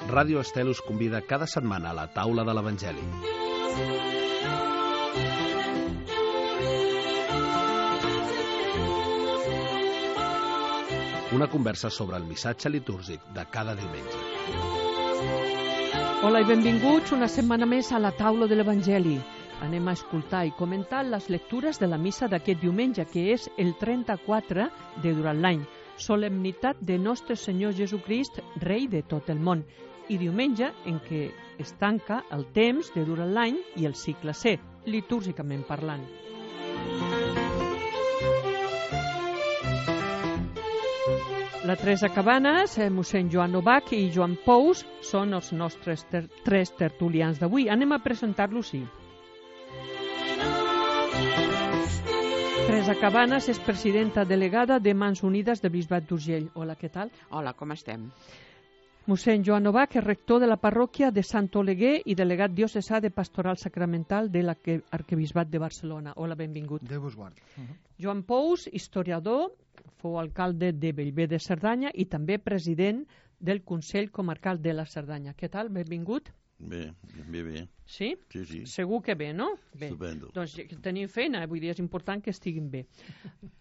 Ràdio Estel us convida cada setmana a la taula de l'Evangeli. Una conversa sobre el missatge litúrgic de cada diumenge. Hola i benvinguts una setmana més a la taula de l'Evangeli. Anem a escoltar i comentar les lectures de la missa d'aquest diumenge, que és el 34 de durant l'any, solemnitat de Nostre Senyor Jesucrist, Rei de tot el món, i diumenge en què es tanca el temps de durant l'any i el cicle C, litúrgicament parlant. La Teresa Cabanes, mossèn Joan Novak i Joan Pous són els nostres tres tertulians d'avui. Anem a presentar-los, sí. Teresa Cabanes és presidenta delegada de Mans Unides de Bisbat d'Urgell. Hola, què tal? Hola, com estem? Mossèn Joan Novak és rector de la parròquia de Sant Oleguer i delegat diocesà de Pastoral Sacramental de l'Arquebisbat de Barcelona. Hola, benvingut. Déu vos guard. Joan Pous, historiador, fou alcalde de Bellver de Cerdanya i també president del Consell Comarcal de la Cerdanya. Què tal? Benvingut. Bé. Sí? Sí. Segur que bé, no? Bé. Estupendo. Doncs tenim feina, vull dir, és important que estiguin bé.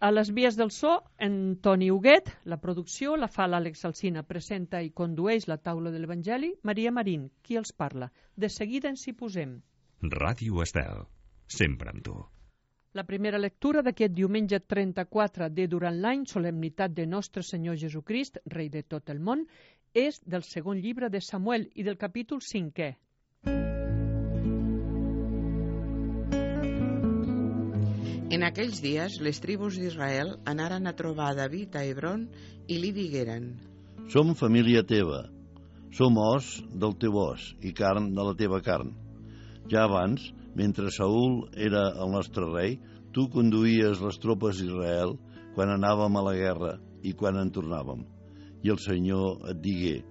A les vies del so, en Toni Huguet, la producció la fa l'Àlex Alsina, presenta i condueix la taula de l'Evangeli, Maria Marín, qui els parla. De seguida ens hi posem. Ràdio Estel, sempre amb tu. La primera lectura d'aquest diumenge 34 de durant l'any, solemnitat de Nostre Senyor Jesucrist, Rei de tot el món, és del segon llibre de Samuel i del capítol 5è. En aquells dies, les tribus d'Israel anaren a trobar David a Hebron i li digueren: Som família teva, som os del teu os i carn de la teva carn. Ja abans, mentre Saül era el nostre rei, tu conduïes les tropes d'Israel quan anàvem a la guerra i quan en tornàvem. I el Senyor et digué: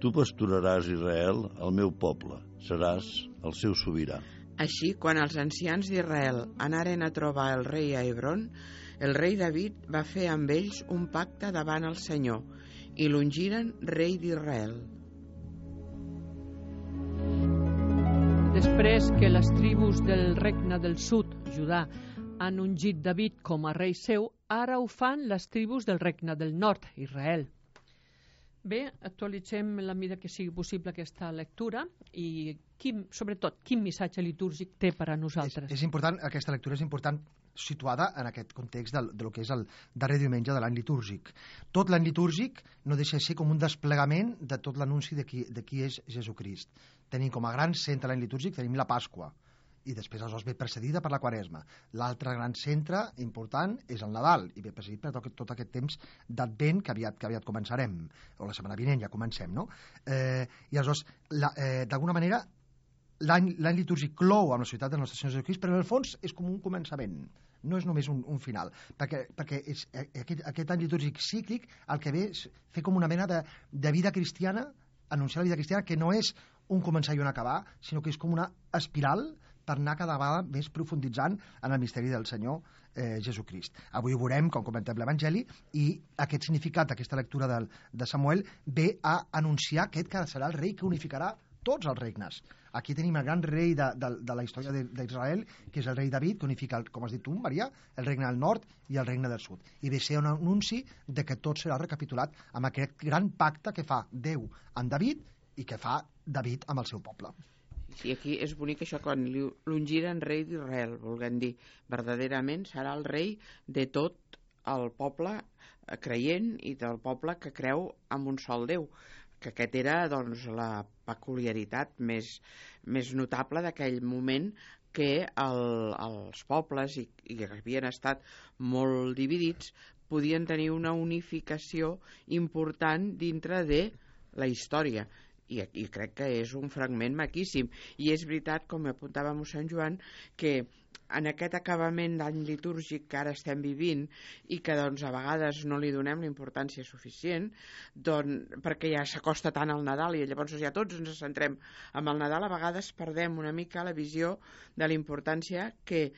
tu pasturaràs Israel, el meu poble, seràs el seu sobirà. Així, quan els ancians d'Israel anaren a trobar el rei a Hebron, el rei David va fer amb ells un pacte davant el Senyor i l'ungiren rei d'Israel. Després que les tribus del regne del sud, Judà, han ungit David com a rei seu, ara ho fan les tribus del regne del nord, Israel. Bé, actualitzem la mida que sigui possible aquesta lectura i, sobretot, quin missatge litúrgic té per a nosaltres. És important, aquesta lectura és important situada en aquest context de lo que és el darrer diumenge de l'any litúrgic. Tot l'any litúrgic no deixa de ser com un desplegament de tot l'anunci de qui és Jesucrist. Tenim com a gran centre l'any litúrgic, tenim la Pasqua, i després aleshores ve precedida per la Quaresma. L'altre gran centre important és el Nadal, i ve precedit per tot aquest temps d'Advent que aviat començarem, o la setmana vinent ja comencem, no? I aleshores, d'alguna manera, l'any litúrgic clou amb la ciutat del nostre Senyor Jesucrist, però en el fons és com un començament, no és només un final, perquè és aquest any litúrgic cíclic el que ve és fer com una mena de vida cristiana, anunciar la vida cristiana, que no és un començar i un acabar, sinó que és com una espiral per anar cada vegada més profunditzant en el misteri del Senyor Jesucrist. Avui ho veurem, com comentem l'Evangeli, i aquest significat d'aquesta lectura de Samuel ve a anunciar aquest que serà el rei que unificarà tots els regnes. Aquí tenim el gran rei de la història d'Israel, que és el rei David, que unifica, com has dit tu, Maria, el regne del nord i el regne del sud. I ve ser un anunci de que tot serà recapitulat amb aquest gran pacte que fa Déu amb David i que fa David amb el seu poble. Sí, aquí és bonic això quan l'ungiren rei d'Israel, volguem dir, verdaderament serà el rei de tot el poble creient i del poble que creu en un sol Déu, que aquest era doncs la peculiaritat més notable d'aquell moment, que els pobles i que havien estat molt dividits podien tenir una unificació important dintre de la història. I crec que és un fragment maquíssim. I és veritat, com apuntava mossèn Joan, que en aquest acabament d'any litúrgic que ara estem vivint i que doncs, a vegades no li donem la importància suficient, doncs, perquè ja s'acosta tant al Nadal i llavors ja tots ens centrem en el Nadal, a vegades perdem una mica la visió de la importància que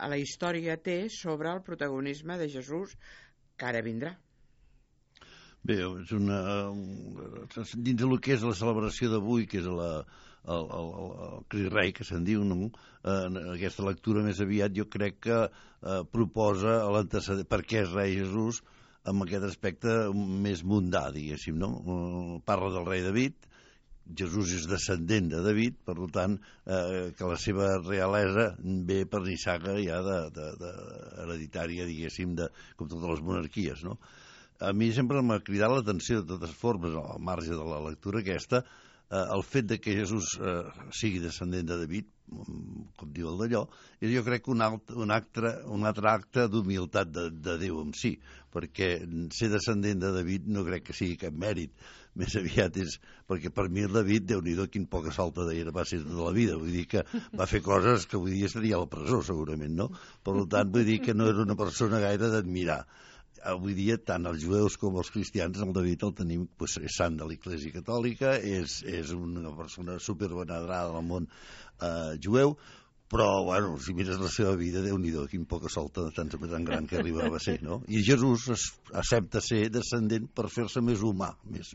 la història té sobre el protagonisme de Jesús que ara vindrà. Bé, és dins del que és la celebració d'avui, que és el Crist Rei, que se'n diu, no? Aquesta lectura més aviat jo crec que proposa l'antecedent, per què és rei Jesús, amb aquest aspecte més mundà, diguéssim, no? Parla del rei David, Jesús és descendent de David, per tant, que la seva realesa ve per nissaga ja hereditària, diguéssim, com totes les monarquies, no? A mi sempre m'ha cridat l'atenció, de totes formes, al marge de la lectura aquesta, el fet de que Jesús sigui descendent de David, com diu el d'allò, és jo crec que un altre acte d'humilitat de Déu en si, perquè ser descendent de David no crec que sigui cap mèrit, més aviat és perquè per mi el David, Déu-n'hi-do, quin poca salta d'era va ser tota la vida, vull dir que va fer coses que avui dia estaria a la presó segurament, no? Per tant, vull dir que no era una persona gaire d'admirar. Avui dia, tant els jueus com els cristians, el David el tenim, és sant de l'Església Catòlica, és una persona supervenerada al món jueu, però, bueno, si mires la seva vida, Déu-n'hi-do, quin poca solta tan gran que arribava a ser, no? I Jesús accepta ser descendent per fer-se més humà, més.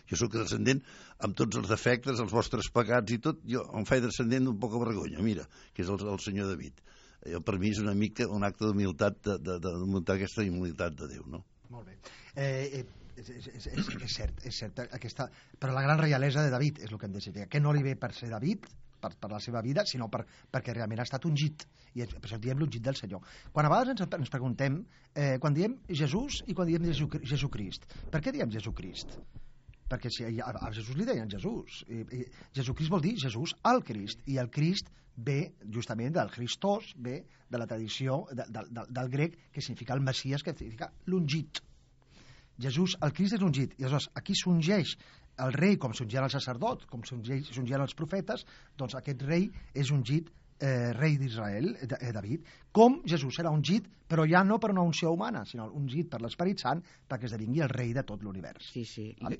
Jo sóc descendent amb tots els defectes, els vostres pecats i tot, jo em faig descendent d'un poca vergonya, mira, que és el senyor David. Per mi és una mica un acte d'humilitat, de muntar aquesta humilitat de Déu, no? Molt bé. És cert, però la gran reialesa de David és el que hem de dir, que no li ve per ser David, per la seva vida, sinó perquè realment ha estat ungit, i per això diem l'ungit del Senyor. Quan a vegades ens preguntem, quan diem Jesús i quan diem Jesucrist, per què diem Jesucrist? Perquè si a Jesús li deien Jesús, Jesucrist vol dir Jesús el Crist, i el Crist ve justament del Christos, ve de la tradició del grec, que significa el Messies, que significa l'ungit. Jesús, el Crist és l'ungit, i aleshores aquí s'ungeix el rei com s'ungien els sacerdots, com s'ungien els profetes, doncs aquest rei és ungit rei d'Israel, David, com Jesús serà ungit, però ja no per una unció humana, sinó ungit per l'Esperit Sant perquè esdevingui el rei de tot l'univers. Sí,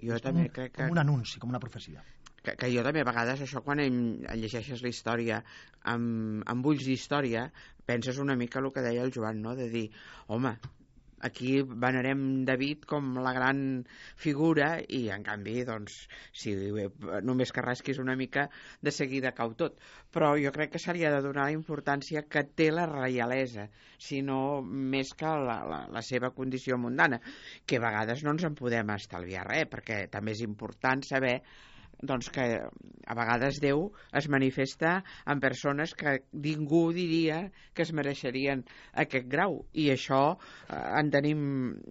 jo també crec que... Com un anunci, com una profecia. Que jo també a vegades això quan llegeixes la història amb ulls d'història penses una mica el que deia el Joan, no? De dir, home, aquí venerem David com la gran figura i en canvi doncs si només que rasquis una mica de seguida cau tot, però jo crec que se li ha de donar la importància que té la reialesa, sinó més que la seva condició mundana, que a vegades no ens en podem estalviar res, perquè també és important saber doncs que a vegades Déu es manifesta en persones que ningú diria que es mereixerien aquest grau, i això en tenim,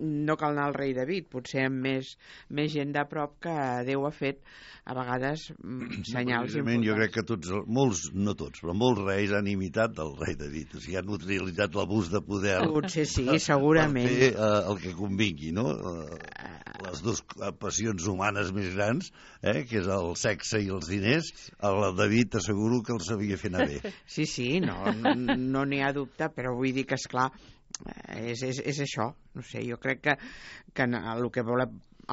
no cal anar al rei David, potser amb més gent de prop que Déu ha fet a vegades senyals importants. Jo crec que molts, no tots, però molts reis han imitat el rei David, o sigui, han utilitzat l'abús de poder potser sí, segurament, per fer el que convingui, no? Les dues passions humanes més grans, que és el sexe i els diners, el David t'asseguro que els sabia fer anar bé. Sí, no n'hi ha dubte, però vull dir que, esclar, és això. No sé, jo crec que el que vol,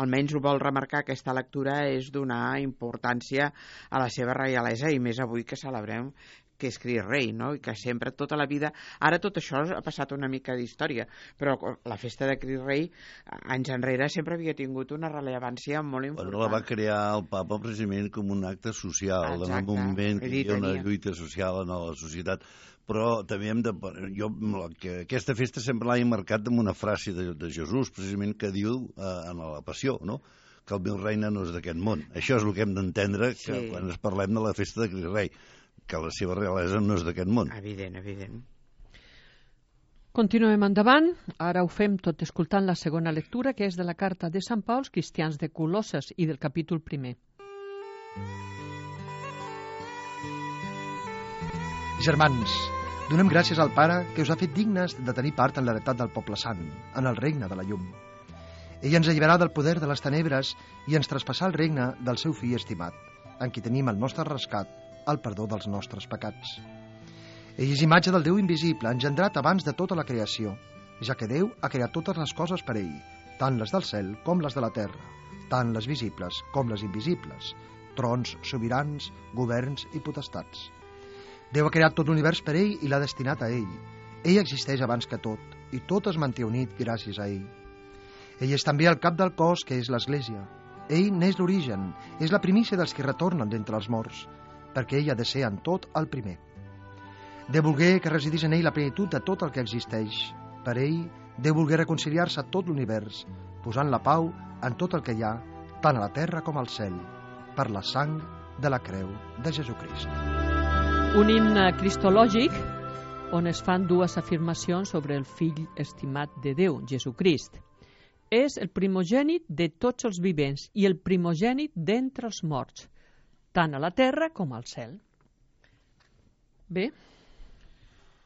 almenys ho vol remarcar aquesta lectura, és donar importància a la seva reialesa, i més avui que celebrem que és Crist Rei, no? I que sempre, tota la vida... Ara tot això ha passat una mica d'història, però la festa de Crist Rei, anys enrere, sempre havia tingut una rellevància molt important. Bueno, la va crear el papa precisament com un acte social, en un moment que hi ha una lluita social en la societat, però també aquesta festa sempre l'ha marcat amb una frase de Jesús, precisament, que diu en la Passió, no?, que el meu regne no és d'aquest món. Això és el que hem d'entendre quan ens parlem de la festa de Crist Rei, que la seva realesa no és d'aquest món. Evident. Continuem endavant. Ara ho fem tot escoltant la segona lectura, que és de la carta de Sant Pau als cristians de Colosses i del capítol 1. Germans, donem gràcies al Pare que us ha fet dignes de tenir part en l'heretat del poble sant, en el regne de la llum. Ell ens alliberà del poder de les tenebres i ens traspassà el regne del seu fill estimat, en qui tenim el nostre rescat, el perdó dels nostres pecats. Ell és imatge del Déu invisible, engendrat abans de tota la creació, ja que Déu ha creat totes les coses per ell, tant les del cel com les de la terra, tant les visibles com les invisibles, trons, sobirans, governs i potestats. Déu ha creat tot l'univers per ell i l'ha destinat a ell. Ell existeix abans que tot, i tot es manté unit gràcies a ell. Ell és també el cap del cos, que és l'Església. Ell n'és l'origen, és la primícia dels que retornen d'entre els morts, perquè ell ha de ser en tot el primer. Déu volgué que residís en ell la plenitud de tot el que existeix. Per ell, Déu volgué reconciliar-se a tot l'univers, posant la pau en tot el que hi ha, tant a la terra com al cel, per la sang de la creu de Jesucrist. Un himne cristològic on es fan dues afirmacions sobre el fill estimat de Déu, Jesucrist. És el primogènit de tots els vivents i el primogènit d'entre els morts, tant a la terra com al cel. Bé,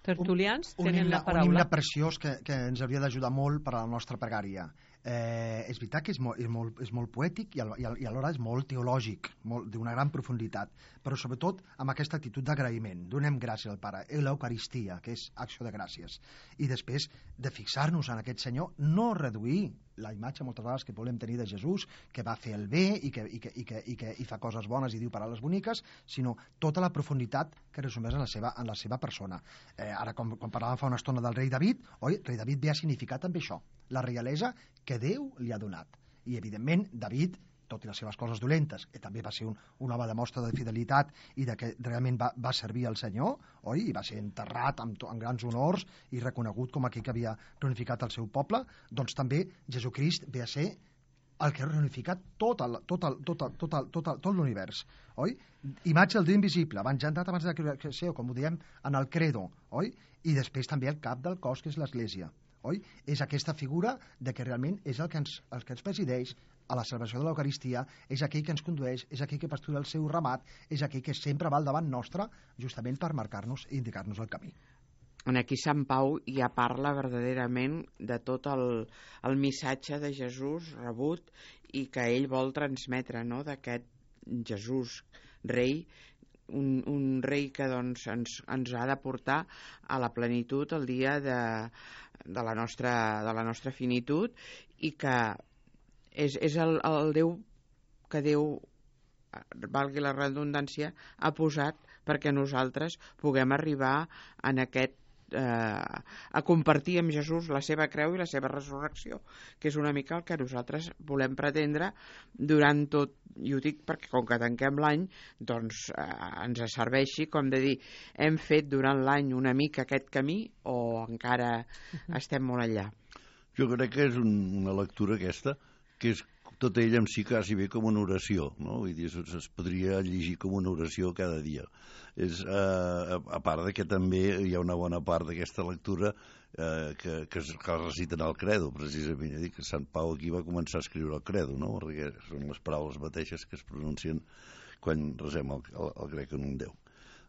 tertulians tenen la paraula. Un himne preciós que ens hauria d'ajudar molt per a la nostra pregària. És veritat que és molt poètic i alhora és molt teològic, d'una gran profunditat, però sobretot amb aquesta actitud d'agraïment. Donem gràcies al Pare, l'Eucaristia, que és acció de gràcies. I després de fixar-nos en aquest Senyor, no reduir la imatge moltes vegades que volem tenir de Jesús, que va fer el bé i que fa coses bones i diu paraules boniques, sinó tota la profunditat que resumeix en la seva persona. Ara, quan parlàvem fa una estona del rei David, rei David ve a significar també això, la reialesa que Déu li ha donat. I, evidentment, David, tot i les seves coses dolentes, que també va ser un home de mostra de fidelitat i de que realment va servir al Senyor, i va ser enterrat amb grans honors i reconegut com aquell que havia reunificat el seu poble, doncs també Jesucrist ve a ser el que ha reunificat tot l'univers, oi? Imatge del Déu invisible, avançat abans de la creació, com ho diem en el credo, oi? I després també el cap del cos, que és l'Església. Oi? És aquesta figura de que realment és el que ens presideix a la celebració de l'Eucaristia, és aquell que ens condueix, és aquell que pastura el seu ramat, és aquell que sempre va al davant nostre justament per marcar-nos i indicar-nos el camí. Aquí Sant Pau ja parla verdaderament de tot el missatge de Jesús rebut i que ell vol transmetre, no?, d'aquest Jesús rei, un rei que doncs, ens ha de portar a la plenitud el dia de la nostra finitud, i que és el Déu que Déu, valgui la redundància, ha posat perquè nosaltres puguem arribar en aquest a compartir amb Jesús la seva creu i la seva resurrecció, que és una mica el que nosaltres volem pretendre durant tot, i ho dic perquè com que tanquem l'any, doncs ens serveixi com de dir, hem fet durant l'any una mica aquest camí o encara estem molt enllà. Jo crec que és una lectura aquesta que és tot ella en si quasi bé com una oració, no? Vull dir, es podria llegir com una oració cada dia. A part de que també hi ha una bona part d'aquesta lectura que es reciten al credo, precisament. Dic que Sant Pau aquí va començar a escriure el credo, no? Perquè són les paraules mateixes que es pronuncien quan resem el grec en un Déu.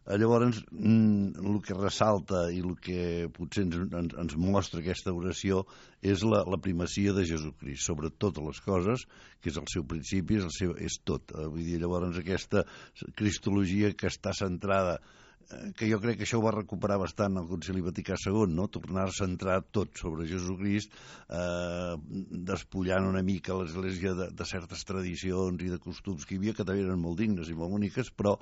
Llavors, el que ressalta i el que potser ens mostra aquesta oració és la primacia de Jesucrist sobre totes les coses, que és el seu principi, és tot. Vull dir, llavors, aquesta cristologia que està centrada, que jo crec que això ho va recuperar bastant el Concili Vaticà II, no? Tornar a centrar tot sobre Jesucrist, despullant una mica l'Església de certes tradicions i de costums que hi havia, que també eren molt dignes i molt boniques, però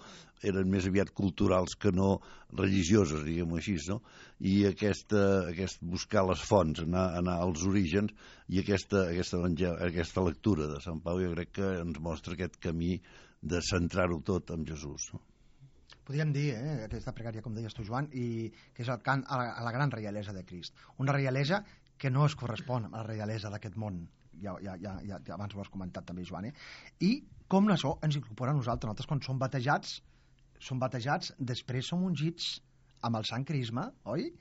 eren més aviat culturals que no religioses, diguem-ho així, no? I aquest buscar les fonts, anar als orígens, i aquesta lectura de Sant Pau jo crec que ens mostra aquest camí de centrar-ho tot en Jesús, no? Podríem dir, aquesta pregària, com deies tu, Joan, i que és el cant a la gran reialesa de Crist. Una reialesa que no es correspon a la reialesa d'aquest món. Ja abans ho has comentat també, Joan. I com això ens incorpora a nosaltres. Nosaltres, quan som batejats, després som ungits amb el Sant Crisma, oi?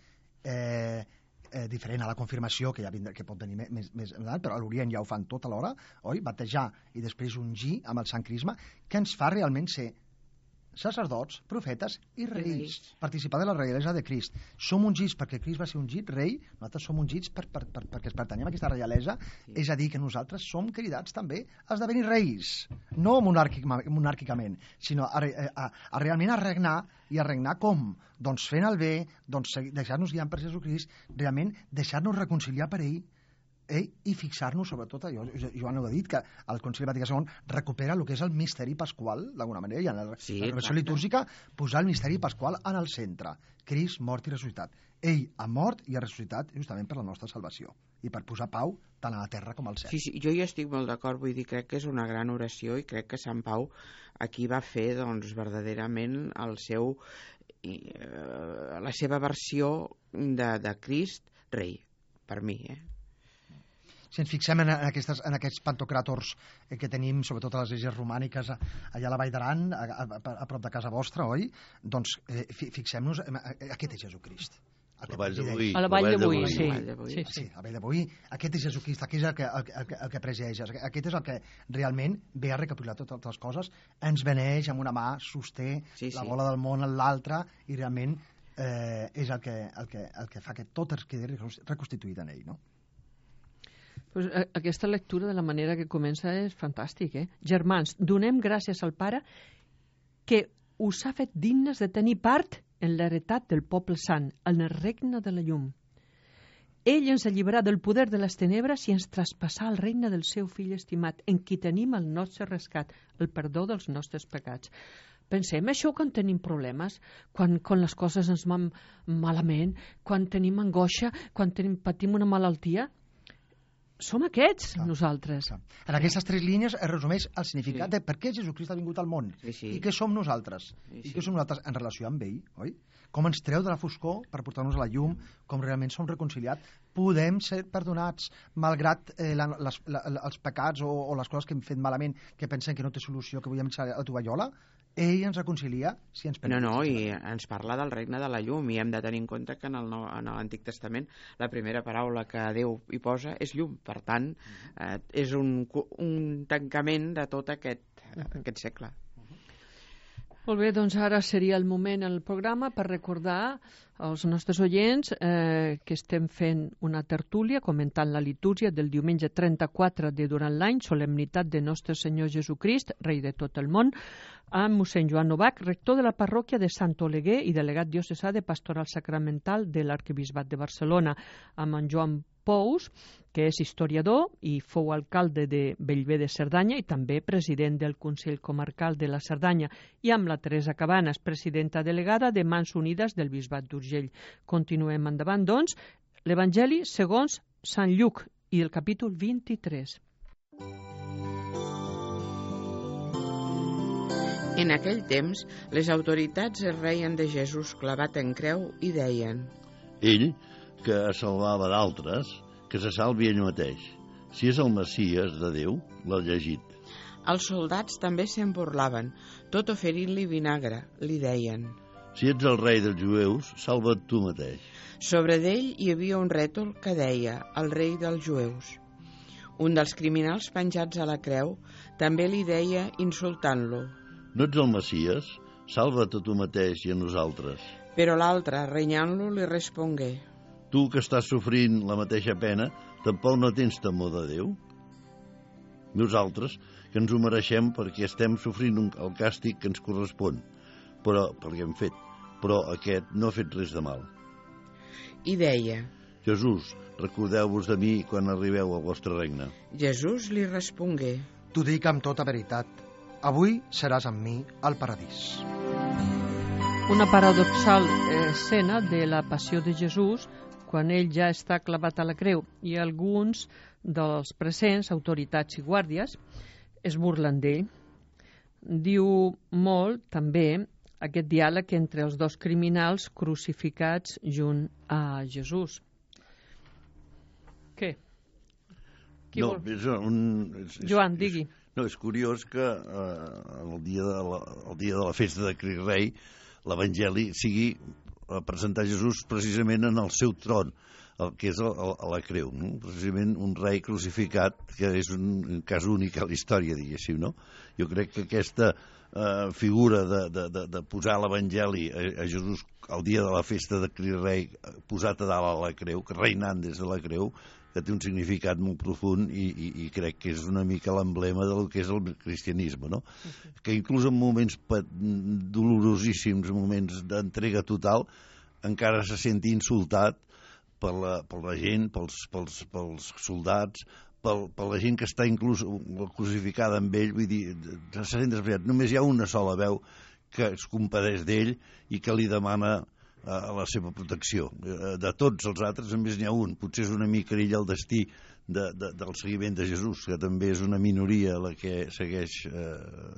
Diferent a la confirmació, que pot venir més, però a l'Orient ja ho fan tot alhora, oi? Batejar i després ungir amb el Sant Crisma, que ens fa realment ser sacerdots, profetes i reis. Participar de la reialesa de Crist. Som ungits perquè Crist va ser ungit rei, nosaltres som ungits perquè pertanyem a aquesta reialesa, és a dir, que nosaltres som cridats també a esdevenir reis, no monàrquicament, sinó a realment a regnar, i a regnar com? Doncs fent el bé, doncs deixar-nos guiar per Jesucrist, realment deixar-nos reconciliar per ell, i fixar-nos sobretot, Joan ho ha dit, que el Concili Vaticà II recupera el que és el misteri pasqual, d'alguna manera, i en la renovació litúrgica posar el misteri pasqual en el centre. Crist, mort i ressuscitat. Ell ha mort i ha ressuscitat justament per la nostra salvació i per posar pau tant a la terra com al cel. Sí, jo hi estic molt d'acord, vull dir, crec que és una gran oració i crec que Sant Pau aquí va fer, doncs, verdaderament la seva versió de Crist rei, per mi, Si ens fixem en aquests pantocràtors que tenim, sobretot a les esglésies romàniques, allà a la Vall d'Aran, a prop de casa vostra, oi? Doncs fixem-nos, aquest és Jesucrist. A la Vall de Boí. A la Vall de Boí, sí. Sí, a la Vall de Boí. Aquest és Jesucrist, aquest és el que presideix, aquest és el que realment ve a recapitular totes les coses, ens beneix amb una mà, sosté la bola del món en l'altra i realment és el que fa que tot es quedi reconstituït en ell, no? Pues aquesta lectura de la manera que comença és fantàstic, Germans, donem gràcies al Pare que us ha fet dignes de tenir part en l'heretat del poble sant, en el regne de la llum. Ell ens alliberà del poder de les tenebres i ens traspassà al regne del seu fill estimat, en qui tenim el nostre rescat, el perdó dels nostres pecats. Pensem això quan tenim problemes, quan les coses ens van malament, quan tenim angoixa, quan patim una malaltia. Som aquests, nosaltres. En aquestes 3 línies es resumeix el significat de per què Jesucrist ha vingut al món i què som nosaltres. I què som nosaltres en relació amb ell, oi? Com ens treu de la foscor per portar-nos a la llum, com realment som reconciliats. Podem ser perdonats malgrat els pecats o les coses que hem fet malament, que pensem que no té solució, que vull eixar a la tovallola. Ell ens reconcilia si ens permet. No, i ens parla del regne de la llum i hem de tenir en compte que en l'Antic Testament la primera paraula que Déu hi posa és llum. Per tant, és un tancament de tot aquest segle. Molt bé, doncs ara seria el moment en el programa per recordar als nostres oients que estem fent una tertúlia comentant la litúrgia del diumenge 34 de durant l'any, solemnitat de Nostre Senyor Jesucrist, rei de tot el món, amb mossèn Joan Novak, rector de la parròquia de Sant Oleguer i delegat diocesà de Pastoral Sacramental de l'Arquebisbat de Barcelona, amb en Joan Pous, que és historiador i fou alcalde de Bellver de Cerdanya i també president del Consell Comarcal de la Cerdanya, i amb la Teresa Cabanes, presidenta delegada de Mans Unides del Bisbat d'Urgell. Continuem endavant, doncs, l'Evangeli segons Sant Lluc i el capítol 23. En aquell temps, les autoritats es reien de Jesús clavat en creu i deien: Ell, que salvava d'altres, que se salvi ell mateix. Si és el Messies de Déu, l'ha llegit. Els soldats també se'n burlaven, tot oferint-li vinagre, li deien: Si ets el rei dels jueus, salva't tu mateix. Sobre d'ell hi havia un rètol que deia: el rei dels jueus. Un dels criminals penjats a la creu també li deia, insultant-lo: No ets el Messies? Salva't a tu mateix i a nosaltres. Però l'altre, renyant-lo, li respongué: Tu que estàs sofrint la mateixa pena, tampoc no tens temor de Déu? Nosaltres, que ens ho mereixem perquè estem sofrint el càstig que ens correspon, perquè hem fet, però aquest no ha fet res de mal. I deia: Jesús, recordeu-vos de mi quan arribeu al vostre regne. Jesús li respongué: T'ho dic amb tota veritat, avui seràs amb mi al paradís. Una paradoxal escena de la passió de Jesús quan ell ja està clavat a la creu i alguns dels presents, autoritats i guàrdies, es burlen d'ell. Diu molt també aquest diàleg entre els dos criminals crucificats junt a Jesús. Què? Qui no, vol? Joan, digui. No, és curiós que el dia de la festa de Crist Rei l'Evangeli sigui presentar Jesús precisament en el seu tron, el que és a la creu, no? Precisament un rei crucificat, que és un cas únic a la història, diguéssim, no? Jo crec que aquesta figura de posar l'Evangeli a Jesús el dia de la festa de Crist Rei posat a dalt a la creu, que reinant des de la creu, que té un significat molt profund i crec que és una mica l'emblema del que és el cristianisme, no? Que inclús en moments dolorosíssims, moments d'entrega total, encara se senti insultat per la gent, pels soldats, per la gent que està inclús crucificada amb ell, vull dir, se sent despreciat. Només hi ha una sola veu que es compadeix d'ell i que li demana la seva protecció. De tots els altres només n'hi ha un. Potser és una mica ell el destí del seguiment de Jesús, que també és una minoria la que segueix,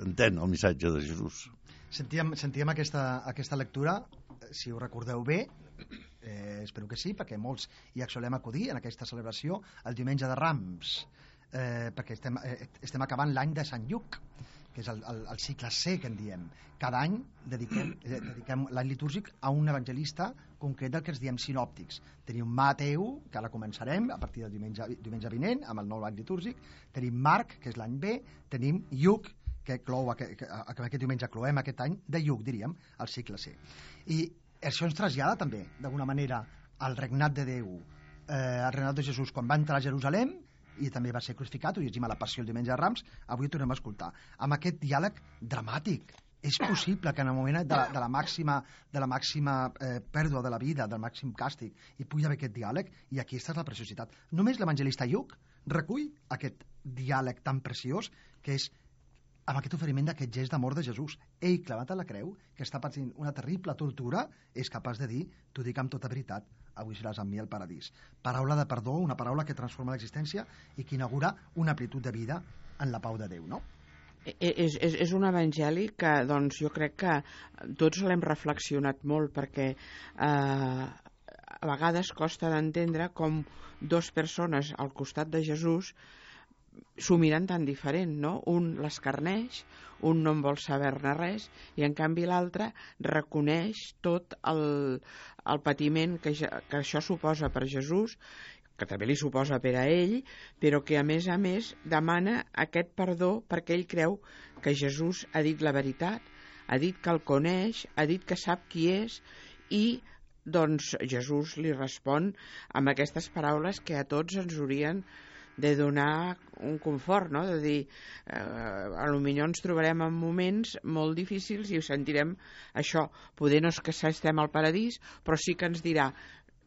entén el missatge de Jesús. Sentíem aquesta lectura, si ho recordeu bé, espero que sí, perquè molts hi solem acudir en aquesta celebració el diumenge de Rams, perquè estem acabant l'any de Sant Lluc, que és el cicle C que en diem. Cada any dediquem l'any litúrgic a un evangelista concret del que ens diem sinòptics. Tenim Mateu, que ara començarem a partir del diumenge vinent amb el nou any litúrgic, tenim Marc, que és l'any B, tenim Lluc, que aquest diumenge cloem aquest any de Lluc, diríem, el cicle C. I això ens trasllada també, d'alguna manera, al regnat de Déu, al regnat de Jesús, quan va entrar a Jerusalem, i també va ser crucificat, ho llegim a la Passió el diumenge de Rams, avui ho tornem a escoltar, amb aquest diàleg dramàtic. És possible que en el moment de la màxima pèrdua de la vida, del màxim càstig, hi pugui haver aquest diàleg, i aquí està la preciositat. Només l'evangelista Lluc recull aquest diàleg tan preciós que és amb aquest oferiment d'aquest gest d'amor de Jesús. Ell, clavat a la creu, que està patint una terrible tortura, és capaç de dir, t'ho dic amb tota veritat, avui seràs amb mi al paradís. Paraula de perdó, una paraula que transforma l'existència i que inaugura una amplitud de vida en la pau de Déu, no? És un evangeli que doncs, jo crec que tots l'hem reflexionat molt, perquè a vegades costa d'entendre com dues persones al costat de Jesús s'ho miren tan diferent, no? Un l'escarneix, un no en vol saber-ne res, i en canvi l'altre reconeix tot el patiment que això suposa per Jesús, que també li suposa per a ell, però que a més demana aquest perdó perquè ell creu que Jesús ha dit la veritat, ha dit que el coneix, ha dit que sap qui és, i doncs Jesús li respon amb aquestes paraules que a tots ens haurien de donar un confort, no? De dir, potser ens trobarem en moments molt difícils i ho sentirem això. Poder no és que estem al paradís, però sí que ens dirà,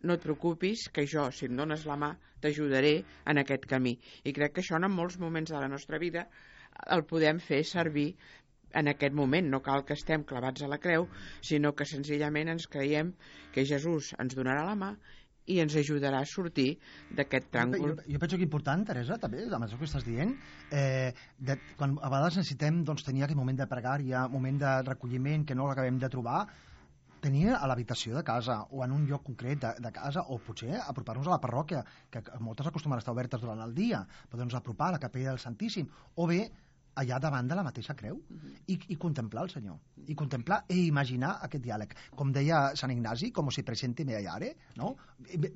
no et preocupis, que jo, si em dones la mà, t'ajudaré en aquest camí. I crec que això en molts moments de la nostra vida el podem fer servir en aquest moment. No cal que estem clavats a la creu, sinó que senzillament ens creiem que Jesús ens donarà la mà i ens ajudarà a sortir d'aquest tràngol. Jo penso que important, Teresa, també, amb això que estàs dient, quan a vegades necessitem tenir aquest moment de pregària, moment de recolliment que no l'acabem de trobar, tenir a l'habitació de casa o en un lloc concret de casa, o potser apropar-nos a la parròquia, que moltes acostumen a estar obertes durant el dia, podem apropar a la capella del Santíssim, o bé allà davant de la mateixa creu, i contemplar el Senyor, i contemplar i imaginar aquest diàleg. Com deia Sant Ignasi, com si presente me hallare, no?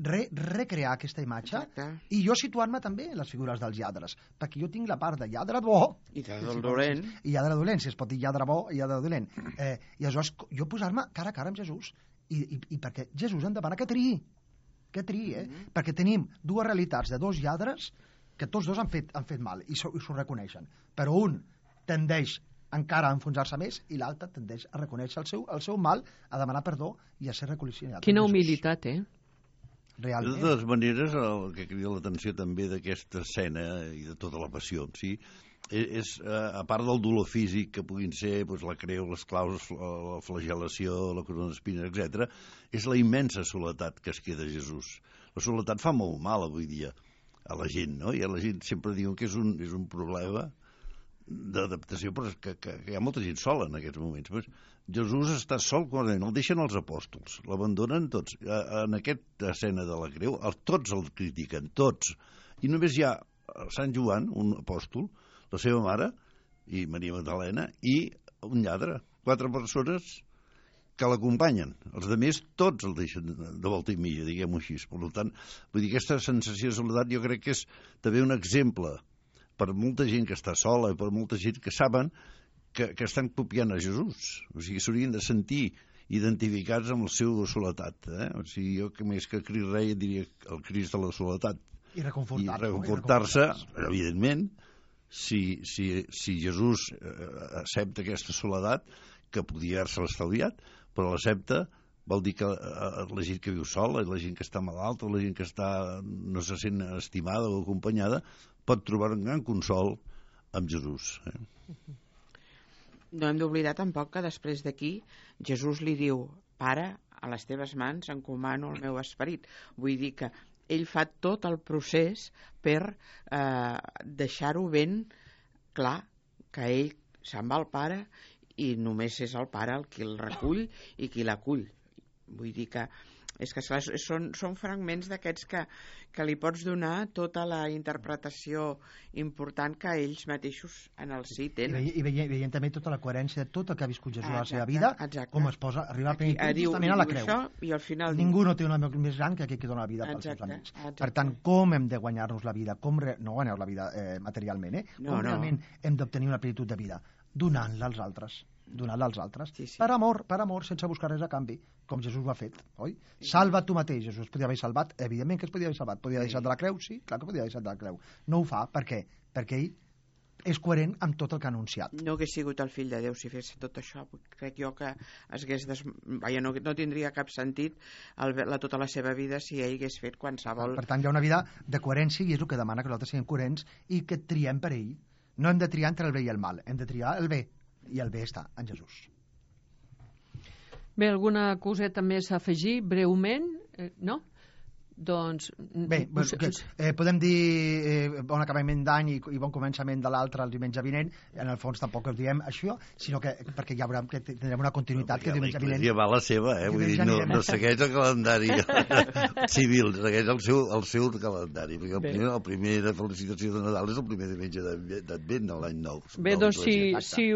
Recrear aquesta imatge. Exacte. I jo situant-me també en les figures dels lladres, perquè jo tinc la part de lladre bo i lladre dolent, i lladre dolent, si es pot dir lladre bo i lladre dolent. I aleshores jo posar-me cara a cara amb Jesús, i perquè Jesús em demana que triï, perquè tenim dues realitats de dos lladres que tots dos han fet mal i s'ho reconeixen, però un tendeix encara a enfonsar-se més i l'altre tendeix a reconèixer el seu mal, a demanar perdó i a ser reconciliat. Quina humilitat, Realment. De totes maneres, el que crida l'atenció també d'aquesta escena i de tota la passió en si és a part del dolor físic que puguin ser la creu, les claus, la flagel·lació, la corona d'espines, etc., és la immensa soledat que es queda a Jesús. La soledat fa molt mal avui dia a la gent, no? I a la gent sempre diuen que és un problema d'adaptació, però que hi ha molta gent sola en aquests moments. Pues Jesús està sol quan el deixen els apòstols, l'abandonen tots. En aquesta escena de la creu, tots el critiquen, tots. I només hi ha Sant Joan, un apòstol, la seva mare, i Maria Magdalena, i un lladre. 4 persones que l'acompanyen. Els altres tots el deixen de volta i mitja, diguem-ho així. Per tant, vull dir, aquesta sensació de soledat jo crec que és també un exemple per molta gent que està sola i per molta gent que saben que estan copiant a Jesús. O sigui, s'haurien de sentir identificats amb la seva soledat. O sigui, jo que més que Crist Rei diria el Crist de la soledat. I reconfortar-se, evidentment, si Jesús accepta aquesta soledat, que podia haver-se estalviat, però l'accepta vol dir que la gent que viu sola, la gent que està malalta, la gent que no se sent estimada o acompanyada, pot trobar un gran consol amb Jesús. No hem d'oblidar tampoc que després d'aquí Jesús li diu: Pare, a les teves mans encomano el meu esperit. Vull dir que ell fa tot el procés per deixar-ho ben clar, que ell se'n va al Pare i només és el Pare el qui el recull i qui l'acull. Vull dir que és que són fragments d'aquests que li pots donar tota la interpretació important que ells mateixos en el si tenen. I veient també tota la coherència de tot el que ha viscut Jesús a la seva vida, com es posa a arribar a plenitud justament a la creu. I al final ningú no té un amic més gran que aquell que dona la vida pels seus amics. Per tant, com hem de guanyar-nos la vida? No guanyar la vida materialment, com realment hem d'obtenir una plenitud de vida? Donant-la als altres. Per amor, sense buscar res a canvi, com Jesús ho ha fet, oi? Salva tu mateix. Jesús es podia haver salvat, evidentment que es podia haver salvat. Podia haver deixat de la creu? Sí, clar que podia haver deixat de la creu. No ho fa, per què? Perquè ell és coherent amb tot el que ha anunciat. No hagués sigut el fill de Déu si fes tot això. Crec jo que no tindria cap sentit tota la seva vida si ell hagués fet qualsevol... Per tant, hi ha una vida de coherència i és el que demana que nosaltres siguem coherents i que triem per ell. No hem de triar entre el bé i el mal, hem de triar el bé. I el bé està en Jesús. Bé, alguna coseta més a afegir breument? No? Doncs... Bé, podem dir bon acabament d'any i bon començament de l'altre el diumenge vinent. En el fons tampoc us diem això, sinó que perquè ja veurem que tindrem una continuïtat que diumenge vinent... Ja va la seva, vull dir, no segueix el calendari civil, segueix el seu calendari, perquè el primer de felicitació de Nadal és el primer diumenge d'Advent, l'any nou. Bé, doncs si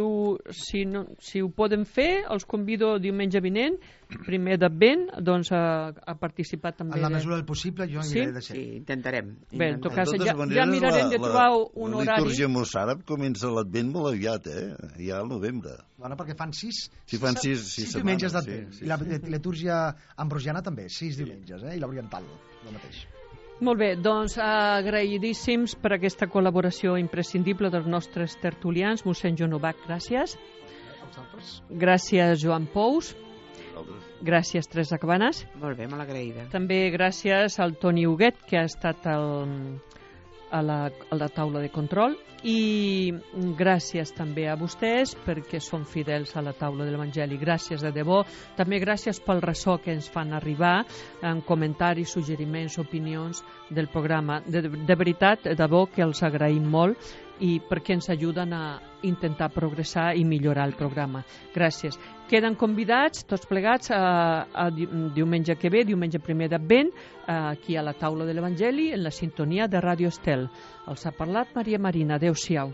ho poden fer, els convido diumenge vinent, primer d'Advent, doncs a participar també. En la mesura del possible, jo miraré de ser. Sí, intentarem. Bé, en tot cas, ja mirarem de trobar un horari. La litúrgia mossàrab comença l'Advent molt aviat, ja al novembre. Bueno, perquè fan sis setmanes. diumenges d'Advent. I la litúrgia ambrosiana també, 6 diumenges, i l'oriental, el mateix. Molt bé, doncs agraïdíssims per aquesta col·laboració imprescindible dels nostres tertulians. Mossèn Joan Ubach, gràcies. Gràcies, Joan Pous. Gràcies, Teresa Cabanes. Molt bé, molt agraïda. També gràcies al Toni Huguet, que ha estat a la taula de control, i gràcies també a vostès perquè són fidels a la taula de l'Evangeli. Gràcies de debò. També gràcies pel ressò que ens fan arribar en comentaris, suggeriments, opinions del programa. De veritat, de debò que els agraïm molt i perquè ens ajuden a intentar progressar i millorar el programa. Gràcies. Queden convidats tots plegats a diumenge que ve, diumenge primer d'Advent, aquí a la taula de l'Evangeli, en la sintonia de Ràdio Estel. Els ha parlat Maria Marina. Adéu-siau.